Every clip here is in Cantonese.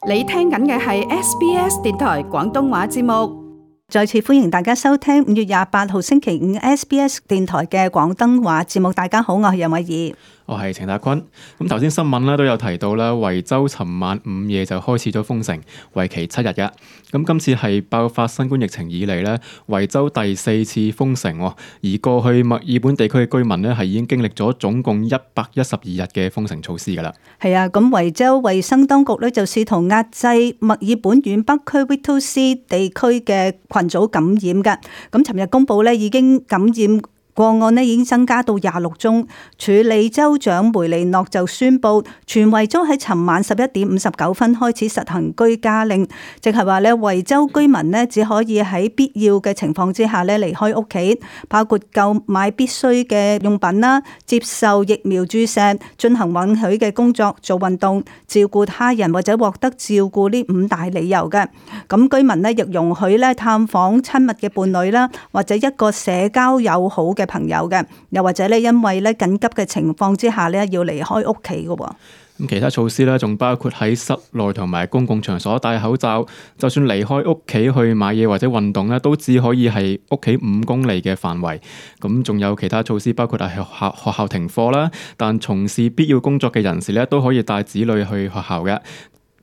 你聽緊嘅係 SBS 電台廣東話節目。再次歡迎大家收聽5月28號星期五 SBS 電台嘅廣東話節目。大家好，我係楊偉儀。我係程達坤。咁頭先新聞咧都有提到啦，維州尋晚午夜就開始咗封城，為期7日嘅。咁今次係爆發新冠疫情以嚟咧，維州第4次封城。而過去墨爾本地區嘅居民咧係已經經歷咗總共112日嘅封城措施㗎啦。係啊，咁維州衛生當局咧就試圖壓制墨爾本縣北區 Whittlesea 地區嘅群組感染嘅。咁尋日公佈咧已經感染個案呢已經增加到26宗，處理州長梅利諾就宣布，全維州喺尋晚11點59分開始實行居家令，即係話咧維州居民呢只可以喺必要嘅情況之下咧離開屋企，包括購買必須嘅用品啦、接受疫苗注射、進行允許嘅工作、做運動、照顧他人或者獲得照顧呢5大理由嘅。咁居民呢亦容許咧探訪親密嘅伴侶啦，或者一個社交友好嘅朋友嘅，又或者咧因為咧緊急嘅情況之下咧要離開屋企嘅。咁其他措施咧仲包括喺室內同埋公共場所戴口罩，就算離開屋企去買嘢或者運動咧，都只可以係屋企5公里嘅範圍。咁仲有其他措施，包括係學校停課啦，但從事必要工作嘅人士咧都可以帶子女去學校嘅。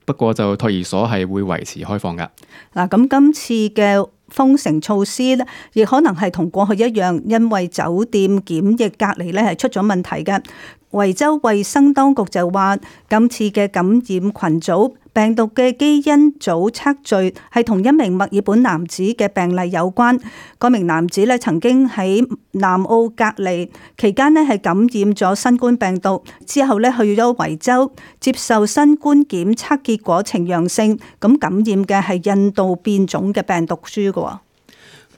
不過就托兒所係會維持開放㗎。嗱，咁今次嘅封城措施咧，亦可能係同過去一樣，因為酒店檢疫隔離咧係出咗問題嘅。維州衛生當局就話，今次嘅感染群組病毒嘅基因組測序係同一名墨爾本男子嘅病例有關。嗰名男子咧曾經喺南澳隔離期間咧係感染咗新冠病毒，之後咧去咗維州接受新冠檢測結果呈陽性，咁感染嘅係印度變種嘅病毒株嘅。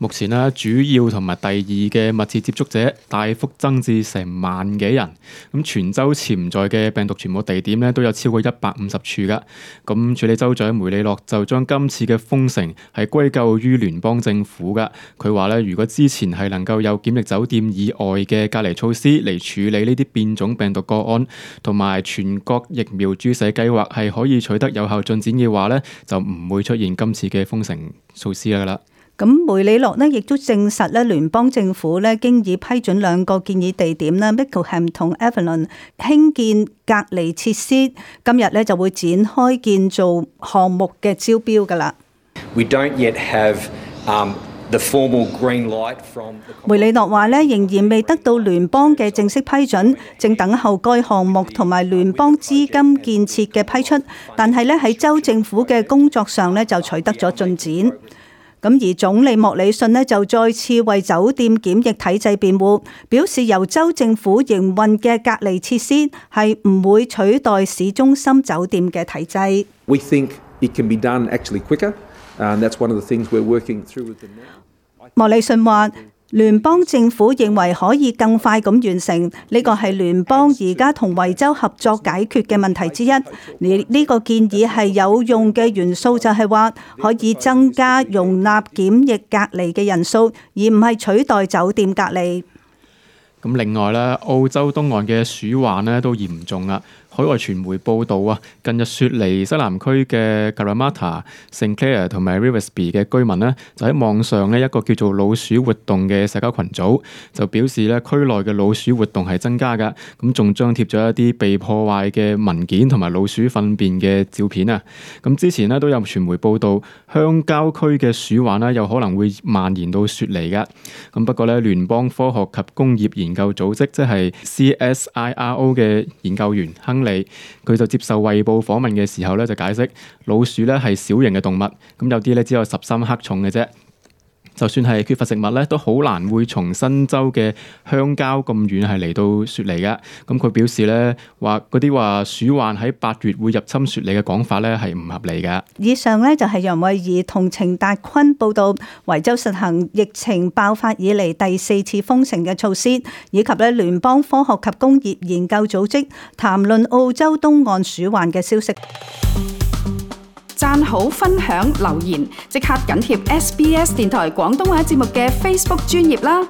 目前咧，主要同埋第2嘅密切接觸者大幅增至成萬幾人。咁全州潛在嘅病毒傳播地點咧都有超過150處噶。咁處理州長梅利諾就將今次嘅封城係歸咎於聯邦政府噶。佢話咧，如果之前係能夠有檢疫酒店以外嘅隔離措施嚟處理呢啲變種病毒個案，同埋全國疫苗注射計劃係可以取得有效進展嘅話咧，就唔會出現今次嘅封城措施噶啦。咁梅里諾呢亦都證實咧，聯邦政府咧經已批准2個建議地點啦 Mickleham 同 Avalon 興建隔離設施，今日咧就會展開建造項目嘅招標噶啦。We don't yet have the formal green light from the... 梅里諾話咧，仍然未得到聯邦嘅正式批准，正等候該項目同埋聯邦資金建設嘅批出，但係咧喺州政府嘅工作上咧就取得咗進展。咁而總理莫里遜呢就再次為酒店檢疫體制辯護，表示由州政府營運嘅隔離設施係唔會取代市中心酒店嘅體制。We think it can be done actually quicker, and that's one of the things we're working through with them now. 莫里遜話，聯邦政府認為可以更快咁完成，呢個係聯邦而家同維州合作解決嘅問題之一。呢個建議係有用嘅元素，就係話可以增加容納檢疫隔離嘅人數，而唔係取代酒店隔離。咁另外咧，澳洲東岸嘅鼠患咧都嚴重啦。海外傳媒報道啊，近日雪梨西南區嘅 Parramatta、St Clair 同埋 Riversby 嘅居民咧，就喺網上咧一個叫做老鼠活動嘅社交群組，就表示咧區內嘅老鼠活動係增加㗎。咁仲張貼咗一啲被破壞嘅文件同埋老鼠糞便嘅照片啊。咁之前咧都有傳媒報道，鄉郊區嘅鼠患咧有可能會蔓延到雪梨㗎。咁不過咧，聯邦科學及工業研究組織即係 CSIRO 嘅研究員亨利，佢就接受衛報訪問嘅時候咧，就解釋老鼠咧係小型嘅動物，咁有啲咧只有13克重嘅啫。就算係缺乏食物咧，都好難會從新州嘅鄉郊咁遠係嚟到雪梨嘅。咁佢表示咧話嗰啲話鼠患喺8月會入侵雪梨嘅講法咧係唔合理嘅。以上咧就係楊慧儀同程達坤報道維州實行疫情爆發以嚟第4次封城嘅措施，以及咧聯邦科學及工業研究組織談論澳洲東岸鼠患嘅消息。讚好、分享、留言，即刻緊貼SBS 電台廣東話節目嘅 Facebook 專頁啦！